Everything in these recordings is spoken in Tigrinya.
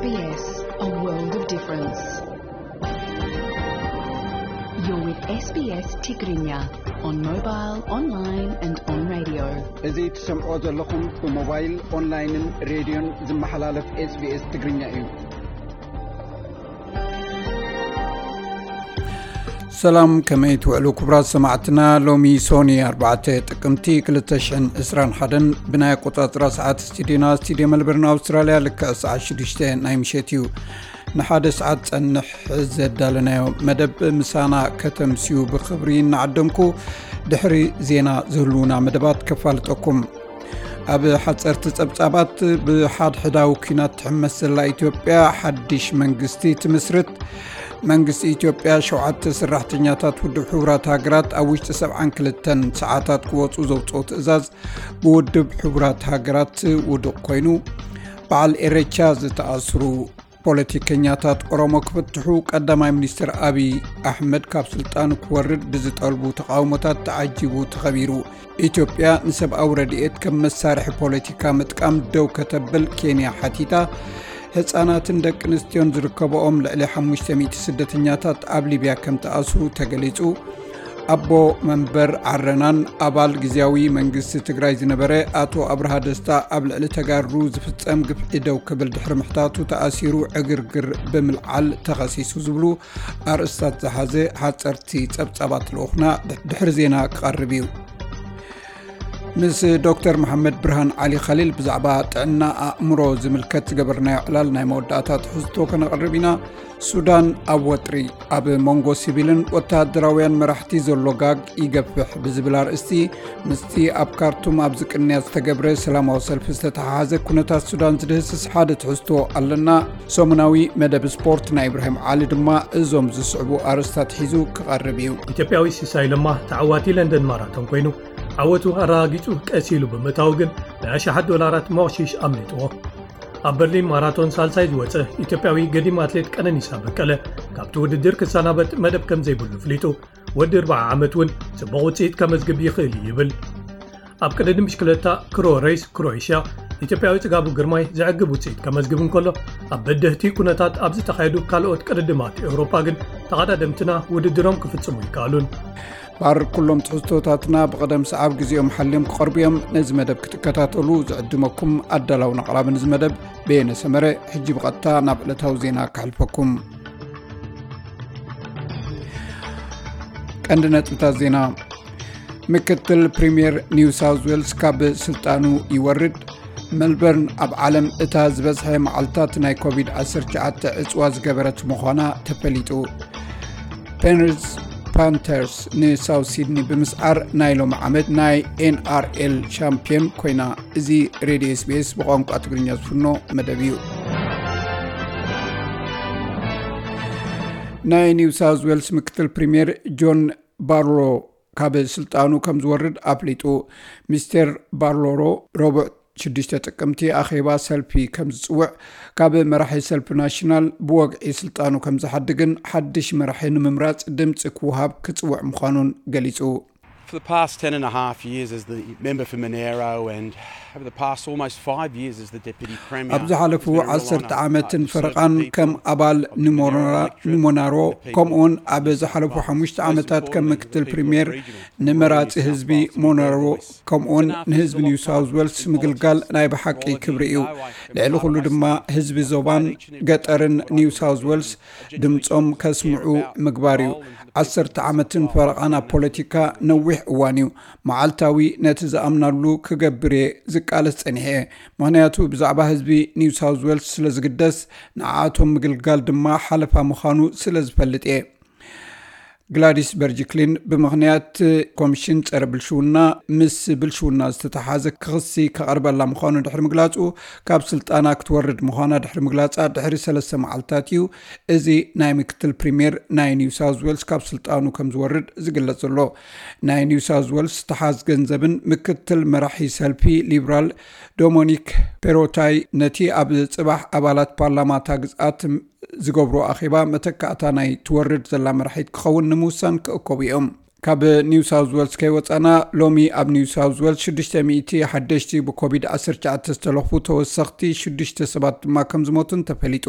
S B S, a world of difference. You're with S B S Tigrinya on mobile, online and on radio. እዚ ትሰምዖ ዘለኹም ብሞባይል፣ ኦንላይንን ሬድዮን ዝመሓላለፍ SBS ትግርኛ እዩ። ሰላም፣ ከመይ ትውዕሉ ክቡራት ሰማዕትና? ሎሚ ሶኒ ኣርባዕተ ጥቅምቲ ክልተ ሽሕን ዕስራን ሓደን ብናይ ኣቆጻጽራ ሰዓት ስቱዲዮና፣ ስቱዲዮ መልበርን ኣውስትራልያ፣ ልክዕ ሰዓት ሽዱሽተ ናይ ምሸት እዩ። ንሓደ ሰዓት ጸንሕ ዘዳለናዮ መደብ ምሳና ከተምስዩ ብኽብሪ እናዓደምኩ፣ ድሕሪ ዜና ዝህልዉና መደባት ከፋልጠኩም። ኣብ ሓጸርቲ ጸብጻባት፣ ብሓድሕዳዊ ኲናት ትሕመስ ዘላ ኢትዮጵያ ሓድሽ መንግስቲ ትምስርት። መንግስቲ ኢትዮጵያ ሸውዓተ ሰራሕተኛታት ውድብ ሕቡራት ሃገራት ኣብ ውሽጢ ሰብዓን ክልተን ሰዓታት ክወጹ ዘውጽኦ ትእዛዝ ብውድብ ሕቡራት ሃገራት ውዱቕ ኮይኑ። በዓል ኤረቻ ዝተኣስሩ ፖለቲከኛታት ኦሮሞ ክፍትሑ ቀዳማይ ሚኒስትር ኣቢይ ኣሕመድ ካብ ስልጣኑ ክወርድ ብዝጠልቡ ተቓውሞታት ተዓጂቡ ተኸቢሩ። ኢትዮጵያ ንሰብኣዊ ረድኤት ከም መሳርሒ ፖለቲካ ምጥቃም ደው ከተብል ኬንያ ሓቲታ። ህጻናትን ደቂ ኣንስትዮን ዝርከብኦም ልዕሊ ሓሙሽተ ሚእቲ ስደተኛታት ኣብ ሊብያ ከም ተኣስሩ ተገሊጹ። ኣቦ መንበር ዓረናን ኣባል ግዝያዊ መንግስቲ ትግራይ ዝነበረ ኣቶ ኣብርሃ ደስታ ኣብ ልዕሊ ተጋሩ ዝፍጸም ግፍዒ ደው ክብል ድሕሪ ምሕታቱ ተኣሲሩ ዕግርግር ብምልዓል ተኸሲሱ ዝብሉ ኣርእስታት ዝሓዘ ሓጸርቲ ጸብጻባት ልኡኽና ድሕሪ ዜና ክቐርብ እዩ። ምስ ዶክተር መሓመድ ብርሃን ዓሊ ኸሊል ብዛዕባ ጥዕና ኣእምሮ ዝምልከት ዝገበርናዮ ዕላል ናይ መወዳእታ ትሕዝቶ ከነቕርብ ኢና። ሱዳን ኣብ ወጥሪ። ኣብ መንጎ ሲቪልን ወተሃደራውያን መራሕቲ ዘሎ ጋግ ይገፍሕ ብዝብል ኣርእስቲ፣ ምስቲ ኣብ ካርቱም ኣብ ዝቅንያ ዝተገብረ ሰላማዊ ሰልፊ ዝተተሓሓዘ ኩነታት ሱዳን ዝድህስስ ሓደ ትሕዝቶ ኣለና። ሰሙናዊ መደብ ስፖርት ናይ ኢብራሂም ዓሊ ድማ እዞም ዝስዕቡ ኣርእስታት ሒዙ ክቐርብ እዩ። ኢትዮጵያዊ ሲሳይ ለማ ተዓዋቲ ለንደን ማራቶን ኮይኑ፣ ዓወቱ ኣረጋጊጹ ቀስ ኢሉ ብምእታዉ ግን ናይ ኣሽሓት ዶላራት መቕሺሽ ኣምሊጥዎ። ኣብ በርሊን ማራቶን ሳልሳይ ዝወጸ ኢትዮጵያዊ ገዲም ኣትሌት ቀነኒሳ በቀለ፣ ካብቲ ውድድር ክሰናበት መደብ ከም ዘይብሉ ኣፍሊጡ፣ ወዲ ኣርብዓ ዓመት እውን ጽቡቕ ውጽኢት ከመዝግብ ይኽእል እዩ ይብል። ኣብ ቅድድም ብሽክለታ ክሮ ሬስ ክሮኤሽያ፣ ኢትዮጵያዊ ጽጋቡ ግርማይ ዘዕግብ ውጽኢት ከመዝግብ እንከሎ፣ ኣብ በደህቲ ኩነታት ኣብ ዝተኻየዱ ካልኦት ቅድድማት ኤውሮጳ ግን ተቐዳደምትና ውድድሮም ክፍጽሙ ይከኣሉን። ባር ኩሎም ትሕዝቶታትና ብቐደም ሰዓብ ግዜኦም ሓልዮም ክቐርቡ እዮም። ነዚ መደብ ክትከታተሉ ዝዕድመኩም ኣዳላውን ኣቕራብን እዚ መደብ በየነ ሰመረ። ሕጂ ብቐጥታ ናብ ዕለታዊ ዜና ከሕልፈኩም። ቀንዲ ነጥብታት ዜና። ምክትል ፕሪምየር ኒው ሳውዝ ዌልስ ካብ ስልጣኑ ይወርድ። ሜልበርን ኣብ ዓለም እታ ዝበዝሐ መዓልታት ናይ ኮቪድ ዓሰርተ ትሽዓተ ዕጽዋ ዝገበረት ምዃና ተፈሊጡ። ፔንሪዝ ፓንተርስ ንሳውት ሲድኒ ብምስዓር ናይ ሎሚ ዓመት ናይ ኤንኣርኤል ሻምፒዮን ኮይና። እዚ ሬድዮ ኤስቢኤስ ብቋንቋ ትግርኛ ዝፍኖ መደብ እዩ። ናይ ኒው ሳውዝ ዌልስ ምክትል ፕሪምየር ጆን ባርሎ ካብ ስልጣኑ ከም ዝወርድ ኣፍሊጡ። ሚስተር ባርሎሮ ረቡዕ ሽዱሽተ ጥቅምቲ ኣኼባ ሰልፊ ከም ዝጽውዕ፣ ካብ መራሒ ሰልፊ ናሽናል ብወግዒ ስልጣኑ ከም ዝሓድግን ሓድሽ መራሒ ንምምራጽ ድምጺ ክወሃብ ክጽውዕ ምዃኑን ገሊጹ። For the past ten and a half years as the member for Monaro and over the past almost five years as the Deputy Premier, ኣብ ዝሓለፉ ዓሰርተ ዓመትን ፈረቓን ከም ኣባል ንሞናሮ፣ ከምኡውን ኣብ ዝሓለፉ ሓሙሽተ ዓመታት ከም ምክትል ፕሪምየር ንመራጺ ህዝቢ ሞናሮ፣ ከምኡውን ንህዝቢ ኒው ሳውዝ ዌልስ ምግልጋል ናይ ብሓቂ ክብሪ እዩ። ልዕሊ ኩሉ ድማ ህዝቢ ዞባን ገጠርን ኒው ሳውዝ ዌልስ ድምጾም ከስምዑ ምግባር እዩ። ዓሰርተ ዓመትን ፈረቓን ኣብ ፖለቲካ ነዊሕ እዋን እዩ። መዓልታዊ ነቲ ዝኣምናሉ ክገብር እየ ዝቃለስ ጸኒሐ እየ። ምኽንያቱ ብዛዕባ ህዝቢ ኒው ሳውዝ ዌልስ ስለ ዝግደስ፣ ንዓኣቶም ምግልጋል ድማ ሓለፋ ምዃኑ ስለ ዝፈልጥ እየ። ግላዲስ በርጅክሊን ብምኽንያት ኮሚሽን ጸረ ብልሽውና፣ ምስ ብልሽውና ዝተተሓዘ ክሲ ከቐርበላ ምዃኑ ድሕሪ ምግላጹ፣ ካብ ስልጣና ክትወርድ ምዃና ድሕሪ ምግላጻ ድሕሪ ሰለስተ መዓልታት እዩ እዚ ናይ ምክትል ፕሪምየር ናይ ኒው ሳውዝ ዌልስ ካብ ስልጣኑ ከም ዝወርድ ዝግለጽ ዘሎ። ናይ ኒው ሳውዝ ዌልስ ተሓዝ ገንዘብን ምክትል መራሒ ሰልፊ ሊብራል ዶሞኒክ ፔሮታይ ነቲ ኣብ ጽባሕ ኣባላት ፓርላማ እታ ግዝኣት ዝገብሮ ኣኼባ መተካእታ ናይ ትወርድ ዘላ መራሒት ክኸውን ንምውሳን ክእከቡ እዮም። ካብ ኒው ሳውዝ ዌልስ ከይወፃና፣ ሎሚ ኣብ ኒው ሳውዝ ዌልስ ሽዱሽተ ሚእቲ ሓደሽቲ ብኮቪድ ዓሰርተ ትሽዓተ ዝተለኽፉ ተወሰኽቲ፣ ሽዱሽተ ሰባት ድማ ከም ዝሞቱን ተፈሊጡ።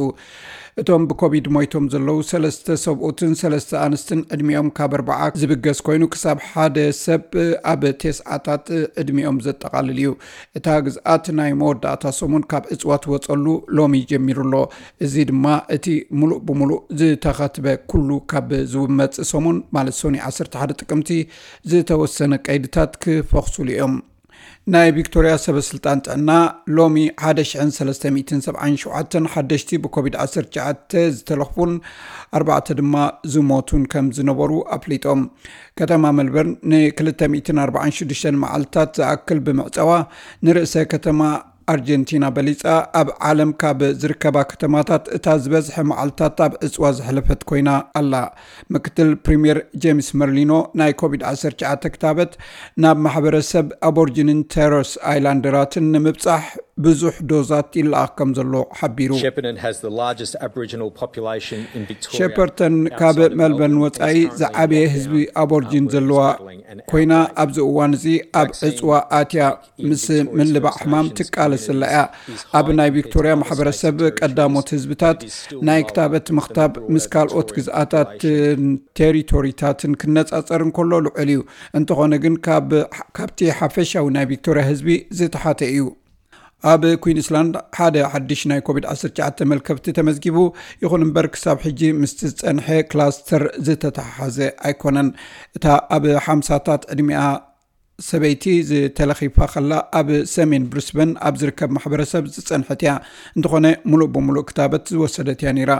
እቶም ብኮቪድ ሞይቶም ዘለዉ ሰለስተ ሰብኡትን ሰለስተ ኣንስትን ዕድሚኦም ካብ ኣርባዓ ዝብገስ ኮይኑ፣ ክሳብ ሓደ ሰብ ኣብ ተስዓታት ዕድሚኦም ዘጠቓልል እዩ። እታ ግዝኣት ናይ መወዳእታ ሰሙን ካብ ዕፅዋ ትወፀሉ ሎሚ ጀሚሩ ኣሎ። እዚ ድማ እቲ ሙሉእ ብሙሉእ ዝተኸትበ ኩሉ ካብ ዝመጽእ ሰሙን፣ ማለት ሶኒ ዓሰርተ ሓደ ጥቅምቲ፣ ዝተወሰነ ቀይድታት ክፈኽሱሉ እዮም። ናይ ቪክቶርያ ሰበ ስልጣን ጥዕና ሎሚ ሓደ ሽሕን ሰለስተ ሚእትን ሰብዓን ሸውዓተን ሓደሽቲ ብኮቪድ ዓሰርተ ትሽዓተ ዝተለኽፉን ኣርባዕተ ድማ ዝሞቱን ከም ዝነበሩ ኣፍሊጦም። ከተማ መልበርን ንክልተ ሚእትን ኣርባዓን ሽዱሽተን መዓልታት ዝኣክል ብምዕጸዋ፣ ንርእሰ ከተማ ኣርጀንቲና በሊጻ፣ ኣብ ዓለም ካብ ዝርከባ ከተማታት እታ ዝበዝሐ መዓልታት ኣብ ዕጽዋ ዘሕለፈት ኮይና ኣላ። ምክትል ፕሪምየር ጄምስ መርሊኖ፣ ናይ ኮቪድ ዓሰርተ ትሽዓተ ክታበት ናብ ማሕበረሰብ ኣቦርጂንን ቶረስ ኣይላንደራትን ንምብጻሕ ብዙሕ ዶዛት ይለኣኽ ከም ዘሎ ሓቢሩ። Shepparton has the largest Aboriginal population in Victoria. ሸፐርተን ካብ መልበርን ወጻኢ ዝዓበየ ህዝቢ ኣቦርጂን ዘለዋ ኮይና፣ ኣብዚ እዋን እዚ ኣብ ዕጽዋ ኣትያ ምስ ምልባዕ ሕማም ትቃለስ ዘላ እያ። ኣብ ናይ ቪክቶርያ ማሕበረሰብ ቀዳሞት ህዝብታት ናይ ክታበት ምኽታብ ምስ ካልኦት ግዝኣታትን ቴሪቶሪታትን ክነጻጸር እንከሎ ልዑል እዩ። እንተኾነ ግን ካብ፣ ካብቲ ሓፈሻዊ ናይ ቪክቶርያ ህዝቢ ዝተሓተ እዩ። ኣብ ኩዊንስላንድ ሓደ ሓድሽ ናይ ኮቪድ ዓሰርተ ትሽዓተ መልከፍቲ ተመዝጊቡ፣ ይኹን እምበር ክሳብ ሕጂ ምስቲ ዝጸንሐ ክላስተር ዝተተሓሓዘ ኣይኮነን። እታ ኣብ ሓምሳታት ዕድሚኣ ሰበይቲ ዝተለኺፋ ከላ፣ ኣብ ሰሜን ብሪስበን ኣብ ዝርከብ ማሕበረሰብ ዝጸንሐት እያ። እንተኾነ፣ ሙሉእ ብሙሉእ ክታበት ዝወሰደት እያ ነይራ።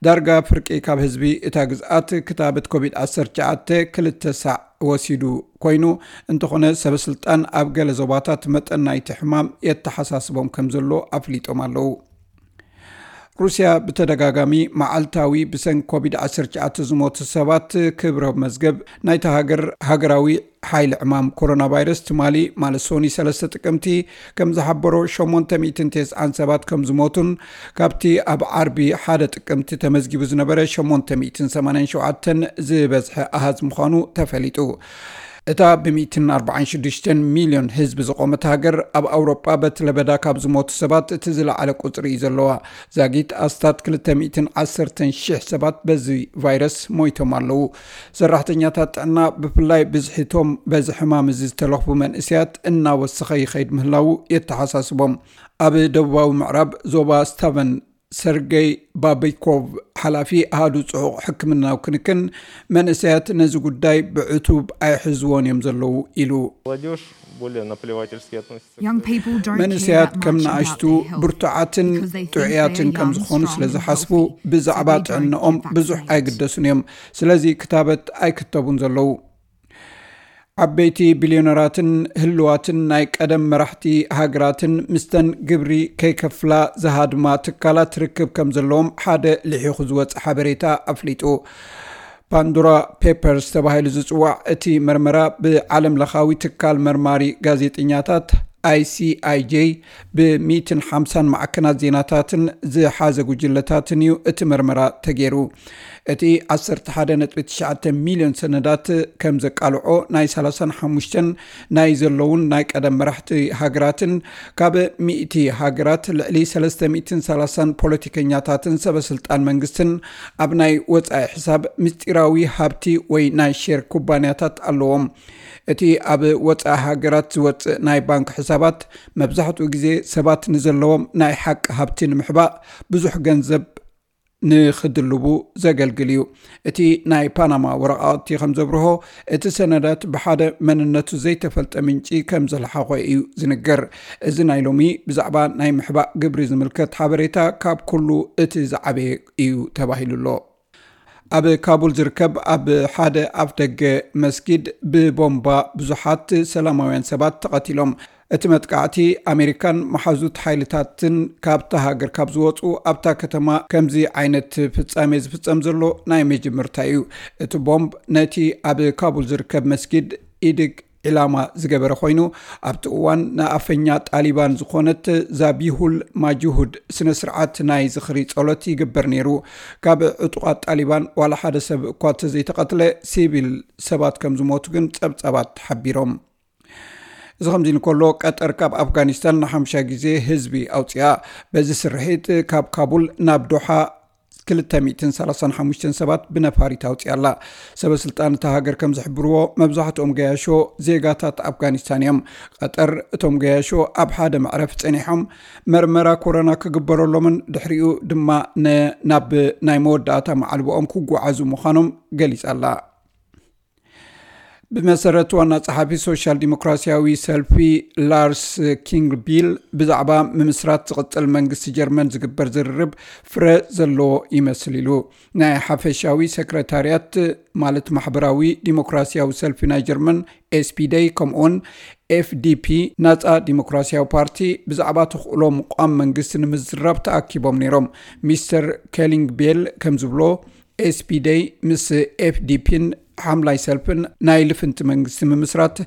ዳርጋ ፍርቂ ካብ ህዝቢ እታ ግዝኣት ክታበት ኮቪድ ዓሰርተ ትሽዓተ ክልተ ሳዕ ወሲዱ ኮይኑ፣ እንተኾነ፣ ሰበ ስልጣን ኣብ ገለ ዞባታት መጠን ናይቲ ሕማም የተሓሳስቦም ከም ዘሎ ኣፍሊጦም ኣለዉ። ሩስያ ብተደጋጋሚ መዓልታዊ ብሰንኪ ኮቪድ ዓሰርተ ትሽዓተ ዝሞቱ ሰባት ክብረ መዝገብ ናይታ ሃገር ሃገራዊ ሓይሊ ዕማም ኮሮና ቫይረስ ትማሊ፣ ማለት ሶኒ ሰለስተ ጥቅምቲ፣ ከም ዝሓበሮ፣ ሸሞንተ ሚእትን ተስዓን ሰባት ከም ዝሞቱን ካብቲ ኣብ ዓርቢ ሓደ ጥቅምቲ ተመዝጊቡ ዝነበረ ሸሞንተ ሚእትን ሰማንያን ሸውዓተን ዝበዝሐ ኣሃዝ ምዃኑ ተፈሊጡ። እታ ብሚእትን ኣርባዓን ሽዱሽተን ሚልዮን ህዝቢ ዝቖመት ሃገር፣ ኣብ ኣውሮጳ በቲ ለበዳ ካብ ዝሞቱ ሰባት እቲ ዝለዓለ ቁጽሪ እዩ ዘለዋ። ዛጊት ኣስታት ክልተ ሚእትን ዓሰርተን ሽሕ ሰባት በዚ ቫይረስ ሞይቶም ኣለዉ። ሰራሕተኛታት ጥዕና፣ ብፍላይ ብዝሒቶም በዚ ሕማም እዚ ዝተለኽፉ መንእሰያት፣ እናወሰኸ ይኸይድ ምህላዉ የተሓሳስቦም። ኣብ ደቡባዊ ምዕራብ ዞባ ስታቨን፣ ሰርገይ ባቢኮቭ፣ ሓላፊ ኣሃዱ ጽዑቕ ሕክምናዊ ክንክን፣ መንእሰያት ነዚ ጉዳይ ብዕቱብ ኣይሕዝዎን እዮም ዘለዉ ኢሉ። Молодежь более наплевательски относится. Young people don't care መንእሰያት that ከም much about ንኣሽቱ their health ብርቱዓትን because they think ጥዑያትን they're ከም young, ዝኾኑ strong ስለ and ዝሓስቡ፣ healthy, ብዛዕባ so they don't ጥዕንኦም get ብዙሕ vaccinated. ኣይግደሱን እዮም። ስለዚ ክታበት ኣይክተቡን ዘለዉ። ዓበይቲ ቢልዮነራትን ህልዋትን ናይ ቀደም መራሕቲ ሃገራትን ምስተን ግብሪ ከይከፍላ ዝሃድማ ትካላት ርክብ ከም ዘለዎም ሓደ ልሒኹ ዝወፀ ሓበሬታ ኣፍሊጡ። ፓንዶራ ፔፐርስ ተባሂሉ ዝጽዋዕ እቲ መርመራ፣ ብዓለም ለኻዊ ትካል መርማሪ ጋዜጠኛታት፣ ኣይሲኣይጄ፣ ብሚእትን ሓምሳን ማዕከናት ዜናታትን ዝሓዘ ጉጅለታትን እዩ እቲ መርመራ ተገይሩ። እቲ ዓሰርተ ሓደ ነጥቢ ትሽዓተ ሚልዮን ሰነዳት ከም ዘቃልዖ፣ ናይ ሰላሳን ሓሙሽተን ናይ ዘለዉን ናይ ቀደም መራሕቲ ሃገራትን ካብ ሚእቲ ሃገራት ልዕሊ ሰለስተ ሚእትን ሰላሳን ፖለቲከኛታትን ሰበ ስልጣን መንግስትን ኣብ ናይ ወጻኢ ሕሳብ ምስጢራዊ ሃብቲ ወይ ናይ ሼር ኩባንያታት ኣለዎም። እቲ ኣብ ወጻኢ ሃገራት ዝወጽእ ናይ ባንክ ሕሳባት፣ መብዛሕትኡ ግዜ ሰባት ንዘለዎም ናይ ሓቂ ሃብቲ ንምሕባእ ብዙሕ ገንዘብ ንኽድልቡ ዘገልግል እዩ። እቲ ናይ ፓናማ ወረቓቕቲ ከም ዘብርሆ፣ እቲ ሰነዳት ብሓደ መንነቱ ዘይተፈልጠ ምንጪ ከም ዘልሓኾ እዩ ዝንገር። እዚ ናይ ሎሚ ብዛዕባ ናይ ምሕባእ ግብሪ ዝምልከት ሓበሬታ ካብ ኩሉ እቲ ዝዓበየ እዩ ተባሂሉ ኣሎ። ኣብ ካቡል ዝርከብ ኣብ ሓደ ኣፍደገ መስጊድ ብቦምባ ብዙሓት ሰላማውያን ሰባት ተቐቲሎም። እቲ መጥቃዕቲ፣ ኣሜሪካን መሓዙት ሓይልታትን ካብታ ሃገር ካብ ዝወጹ፣ ኣብታ ከተማ ከምዚ ዓይነት ፍጻሜ ዝፍጸም ዘሎ ናይ መጀመርታ እዩ። እቲ ቦምብ ነቲ ኣብ ካቡል ዝርከብ መስጊድ ኢድግ ዕላማ ዝገበረ ኮይኑ፣ ኣብቲ እዋን ንኣፈኛ ጣሊባን ዝኾነት ዛቢሁል ማጅሁድ ስነ ስርዓት ናይ ዝኽሪ ጸሎት ይግበር ነይሩ። ካብ ዕጡቓት ጣሊባን ዋላ ሓደ ሰብ እኳ ተዘይተቐትለ፣ ሲቪል ሰባት ከም ዝሞቱ ግን ጸብጻባት ሓቢሮም። እዚ ከምዚ እንከሎ፣ ቀጠር ካብ ኣፍጋኒስታን ንሓምሻ ግዜ ህዝቢ ኣውፅኣ። በዚ ስርሒት ካብ ካቡል ናብ ዶሓ ክልተ ሚእትን ሰላሳን ሓሙሽተን ሰባት ብነፋሪት ኣውፅኣ ኣላ። ሰበ ስልጣን እታ ሃገር ከም ዝሕብርዎ፣ መብዛሕትኦም ገያሾ ዜጋታት ኣፍጋኒስታን እዮም። ቀጠር እቶም ገያሾ ኣብ ሓደ መዕረፍ ጸኒሖም መርመራ ኮሮና ክግበረሎምን ድሕሪኡ ድማ ን-፣ ናብ ናይ መወዳእታ መዓልቦኦም ክጓዓዙ ምዃኖም ገሊጻ ኣላ። ብመሰረት ዋና ጸሓፊ ሶሻል ዲሞክራሲያዊ ሰልፊ ላርስ ኪንግቢል፣ ብዛዕባ ምምስራት ዝቕጽል መንግስቲ ጀርመን ዝግበር ዝርርብ ፍረ ዘለዎ ይመስል ኢሉ። ናይ ሓፈሻዊ ሰክረታርያት፣ ማለት ማሕበራዊ ዲሞክራሲያዊ ሰልፊ ናይ ጀርመን ኤስፒደይ ከምኡውን ኤፍዲፒ ናጻ ዲሞክራሲያዊ ፓርቲ ብዛዕባ ተኽእሎ ምቋም መንግስቲ ንምዝራብ ተኣኪቦም ነይሮም። ሚስተር ኪንግቢል ከም ዝብሎ፣ ኤስፒደይ ምስ ኤፍዲፒን ሓምላይ ሰልፍን ናይ ልፍንቲ መንግስቲ ምምስራት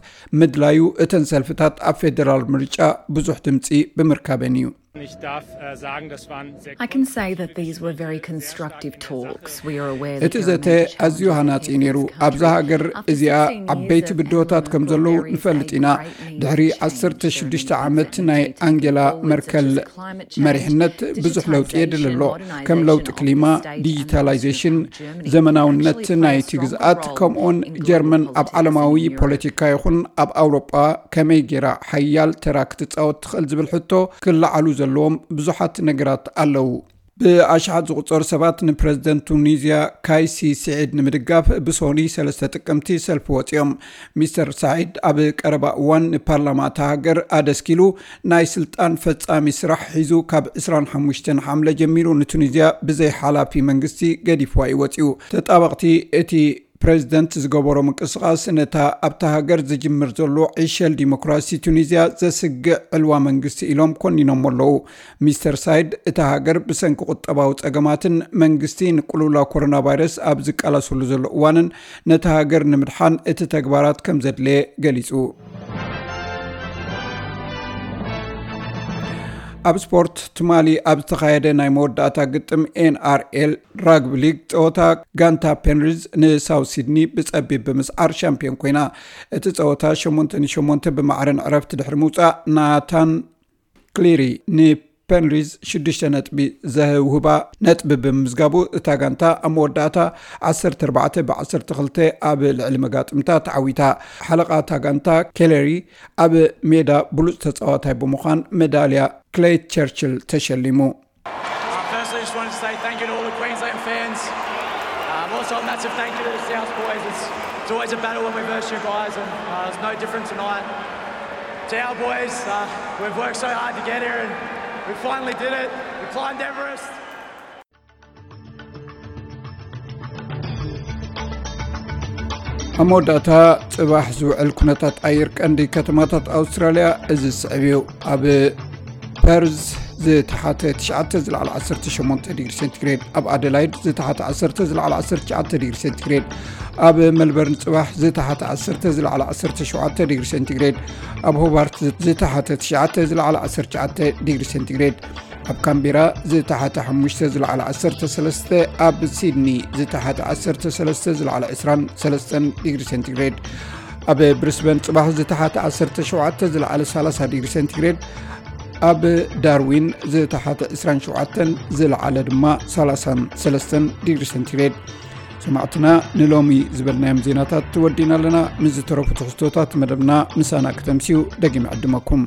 ምድላዩ እተን ሰልፍታት ኣብ ፌደራል ምርጫ ብዙሕ ድምፂ ብምርካበን እዩ። Ich darf äh, sagen, das waren sehr I can say that these were very constructive talks. We are aware እቲ ዘተ ኣዝዩ ሃናጺ ነይሩ። ኣብዛ ሃገር እዚኣ ዓበይቲ ብድሆታት ከም ዘለዉ ንፈልጥ ኢና። ድሕሪ ዓሰርተ ሽዱሽተ ዓመት ናይ ኣንጌላ መርከል መሪሕነት ብዙሕ ለውጢ የድሊ ኣሎ። ከም ለውጢ ክሊማ፣ ዲጂታላይዜሽን፣ ዘመናውነት ናይቲ ግዝኣት፣ ከምኡውን ጀርመን ኣብ ዓለማዊ ፖለቲካ ይኹን ኣብ ኣውሮጳ ከመይ ጌራ ሓያል ተራ ክትጻወት ትኽእል ዝብል ሕቶ ክለዓሉ ዘለዎም ብዙሓት ነገራት ኣለዉ። ብኣሽሓት ዝቑጸሩ ሰባት ንፕረዚደንት ቱኒዝያ ካይሲ ስዒድ ንምድጋፍ ብሶኒ ሰለስተ ጥቅምቲ ሰልፊ ወጺኦም። ሚስተር ሳዒድ ኣብ ቀረባ እዋን ንፓርላማ እታ ሃገር ኣደስኪሉ ናይ ስልጣን ፈጻሚ ስራሕ ሒዙ ካብ ዕስራን ሓሙሽተን ሓምለ ጀሚሩ ንቱኒዝያ ብዘይ ሓላፊ መንግስቲ ገዲፍዋ እዩ ወጺኡ። ተጣበቕቲ እቲ ፕረዚደንት ዝገበሮ ምንቅስቓስ ነታ ኣብታ ሃገር ዝጅምር ዘሎ ዕሸል ዲሞክራሲ ቱኒዝያ ዘስግእ ዕልዋ መንግስቲ ኢሎም ኮኒኖሞ ኣለዉ። ሚስተር ሳይድ እታ ሃገር ብሰንኪ ቁጠባዊ ጸገማትን መንግስቲ ንቅልውላው ኮሮና ቫይረስ ኣብ ዝቃለሰሉ ዘሎ እዋንን ነታ ሃገር ንምድሓን እቲ ተግባራት ከም ዘድለየ ገሊጹ። ኣብ ስፖርት ትማሊ ኣብ ዝተኻየደ ናይ መወዳእታ ግጥም ኤንኣርኤል ራግቢ ሊግ ጸወታ ጋንታ ፔንሪዝ ንሳውት ሲድኒ ብጸቢብ ብምስዓር ሻምፒዮን ኮይና። እቲ ጸወታ ሸሞንተ ንሸሞንተ ብማዕረ ንዕረፍቲ ድሕሪ ምውጻእ ናታን ክሊሪ ንፔንሪዝ ሽዱሽተ ነጥቢ ዘውህባ ነጥቢ ብምምዝጋቡ እታ ጋንታ ኣብ መወዳእታ ዓሰርተ ኣርባዕተ ብ ዓሰርተ ክልተ ኣብ ልዕሊ መጋጥምታ ተዓዊታ። ሓለቓ እታ ጋንታ ኬለሪ ኣብ ሜዳ ብሉጽ ተጻዋታይ ብምዃን መዳልያ ክሌይ ቸርችል ተሸሊሙ። Uh, firstly, just wanted to say thank you to all the Queensland fans. Um, also, a massive thank you to the South boys. It's, it's always a battle when we versus you guys, and uh, it's no different tonight. To our boys, uh, we've worked so hard to get here, and we finally did it. We climbed Everest. ኣብ መወዳእታ፣ ጽባሕ ዝውዕል ኩነታት ኣየር ቀንዲ ከተማታት ኣውስትራልያ እዚ ዝስዕብ እዩ። ኣብ ፐርዝ ዝተሓተ ትሽዓተ ዝለዓለ ዓሰርተ ሸሞንተ ዲግሪ ሴንቲግሬድ፣ ኣብ ኣደላይድ ዝተሓተ ዓሰርተ ዝለዓለ ዓሰርተ ትሽዓተ ዲግሪ ሴንቲግሬድ፣ ኣብ ሜልበርን ጽባሕ ዝተሓተ ዓሰርተ ዝለዓለ ዓሰርተ ሸውዓተ ዲግሪ ሴንቲግሬድ፣ ኣብ ሆባርት ዝተሓተ ትሽዓተ ዝለዓለ ዓሰርተ ትሽዓተ ዲግሪ ሴንቲግሬድ፣ ኣብ ካምቤራ ዝተሓተ ሓሙሽተ ዝለዓለ ዓሰርተ ሰለስተ፣ ኣብ ሲድኒ ዝተሓተ ዓሰርተ ሰለስተ ዝለዓለ ዕስራን ሰለስተን ዲግሪ ሴንቲግሬድ፣ ኣብ ብሪስበን ጽባሕ ዝተሓተ ዓሰርተ ሸውዓተ ዝለዓለ ሰላሳ ዲግሪ ሴንቲግሬድ፣ ኣብ ዳርዊን ዝተሓተ ዕስራን ሸውዓተን ዝለዓለ ድማ ሰላሳን ሰለስተን ዲግሪ ሴንቲግሬድ። ሰማዕትና፣ ንሎሚ ዝበልናዮም ዜናታት ወዲና ኣለና። ምስ ዝተረፉ ትሕዝቶታት መደብና ምሳና ክተምስዩ ደጊም ዕድመኩም።